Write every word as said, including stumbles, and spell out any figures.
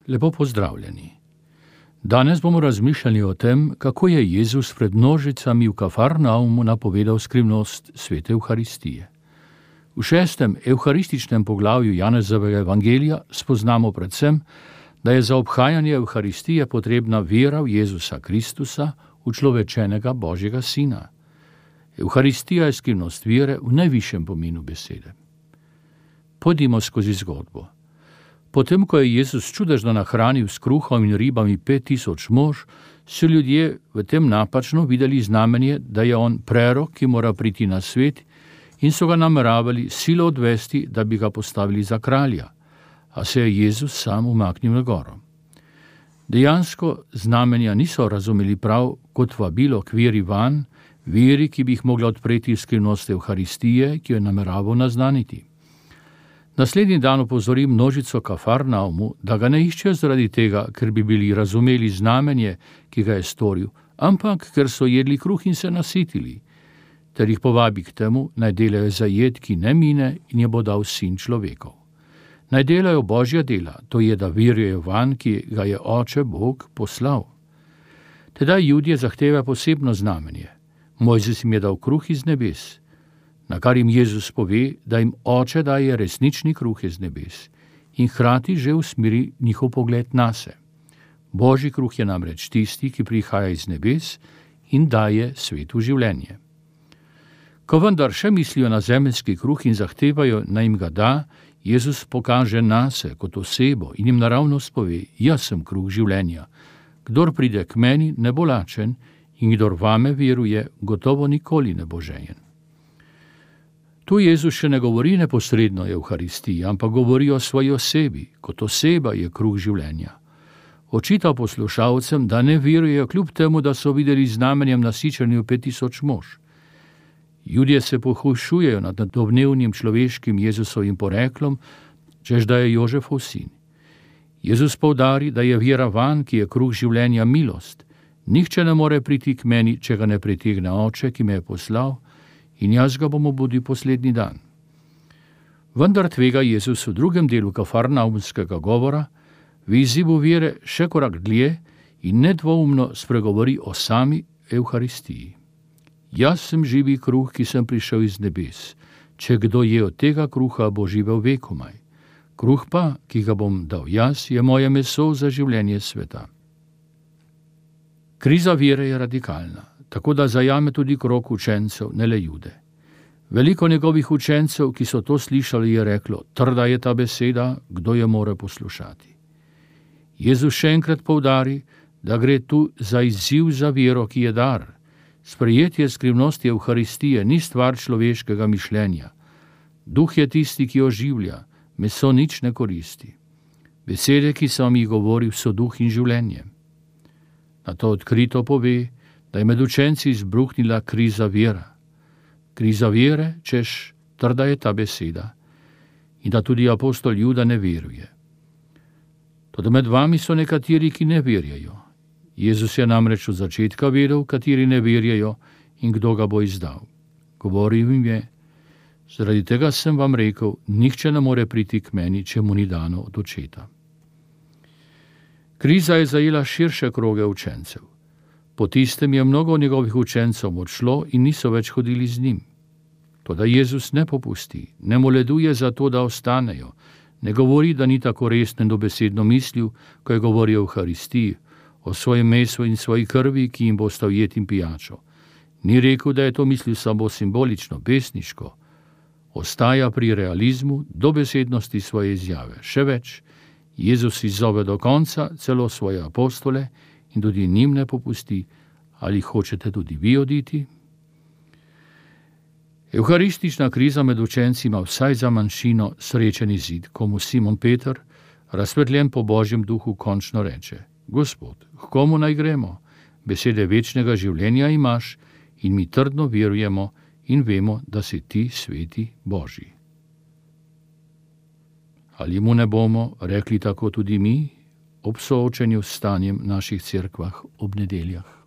Lepo pozdravljeni. Danes bomo razmišljali o tem, kako je Jezus pred množicami v Kafarnaumu napovedal skrivnost svete Evharistije. V šestem evharističnem poglavju Janezovega evangelija spoznamo predvsem, da je za obhajanje Evharistije potrebna vera v Jezusa Kristusa, učlovečenega Božjega Sina. Evharistija je skrivnost vere v najvišjem pomenu besede. Pojdimo skozi zgodbo. Potem, ko je Jezus čudežno nahranil s kruhom in ribami pet tisoč mož, so ljudje v tem napačno videli znamenje, da je on prerok, ki mora priti na svet, in so ga nameravali silo odvesti, da bi ga postavili za kralja, a se je Jezus sam umaknil na goro. Dejansko znamenja niso razumeli prav kot vabilo k veri vanj, veri, ki bi jih mogla odpreti skrivnost Evharistije, ki jo je nameraval naznaniti. Naslednji dan opozori množico Kafarnaumu, da ga ne iščejo zaradi tega, ker bi bili razumeli znamenje, ki ga je storil, ampak ker so jedli kruh in se nasitili, ter jih povabi k temu, naj delajo za jed, ki ne mine in je bo dal Sin človekov. Naj delajo Božja dela, to je, da verijo vanj, ki ga je Oče Bog poslal. Tedaj Judje zahteva posebno znamenje. Mojzes jim je dal kruh iz nebes, na kar jim Jezus pove, da jim Oče daje resnični kruh iz nebes in hkrati že usmeri njihov pogled nase. Božji kruh je namreč tisti, ki prihaja iz nebes in daje svetu življenje. Ko vendar še mislijo na zemeljski kruh in zahtevajo, naj jim ga da, Jezus pokaže nase kot osebo in jim naravnost pove, jaz sem kruh življenja. Kdor pride k meni, ne bo lačen, in kdor vame veruje, gotovo nikoli ne bo žejen. Tu Jezus še ne govori neposredno o Evharistiji, ampak govori o svoji osebi, kot oseba je kruh življenja. Očita poslušalcem, da ne verujejo kljub temu, da so videli znamenjem nasičenju pet tisoč mož. Judje se pohujšujejo nad domnevnim človeškim Jezusovim poreklom, češ da je Jožefov sin. Jezus poudari, da je vera vanj, ki je kruh življenja, milost. Nihče ne more priti k meni, če ga ne pritegne Oče, ki me je poslal, in jaz ga bom obudil poslednji dan. Vendar tvega Jezus v drugem delu kafarnaumskega govora v izzivu vere še korak dlje in nedvoumno spregovori o sami Evharistiji. Jaz sem živi kruh, ki sem prišel iz nebes. Če kdo je od tega kruha, bo živel vekomaj. Kruh pa, ki ga bom dal jaz, je moje meso za življenje sveta. Kriza vere je radikalna, tako da zajame tudi krog učencev, ne le Jude. Veliko njegovih učencev, ki so to slišali, je reklo, trda je ta beseda, kdo jo more poslušati. Jezus še enkrat poudari, da gre tu za izziv za vero, ki je dar. Sprejetje skrivnosti Evharistije ni stvar človeškega mišljenja. Duh je tisti, ki oživlja, meso nič ne koristi. Besede, ki sem jih govoril, so duh in življenje. Na to odkrito pove, da je med učenci izbruhnila kriza vera. Kriza vere, češ trda je ta beseda, in da tudi apostol Juda ne veruje. Toda med vami so nekateri, ki ne verjajo. Jezus je namreč od začetka vedel, kateri ne verjajo in kdo ga bo izdal. Govoril jim je, zaradi tega sem vam rekel, nihče ne more priti k meni, če mu ni dano od Očeta. Kriza je zajela širše kroge učencev. Po tistem je mnogo njegovih učencev odšlo in niso več hodili z njim. Toda Jezus ne popusti, ne moleduje za to, da ostanejo, ne govori, da ni tako resno in dobesedno mislil, ko je govoril o Evharistiji, o svojem mesu in svoji krvi, ki jim bo stal jed in pijačo. Ni rekel, da je to mislil samo simbolično, pesniško. Ostaja pri realizmu, dobesednosti svoje izjave. Še več, Jezus izzove do konca celo svoje apostole in tudi njim ne popusti, ali hočete tudi vi oditi? Evharistična kriza med učenci ima vsaj za manjšino srečen izid, ko mu Simon Peter, razsvetljen po Božjem duhu, končno reče, Gospod, k komu naj gremo? Besede večnega življenja imaš in mi trdno verujemo in vemo, da si ti sveti Božji. Ali mu ne bomo rekli tako tudi mi ob soočenju s stanjem naših cerkvah ob nedeljah?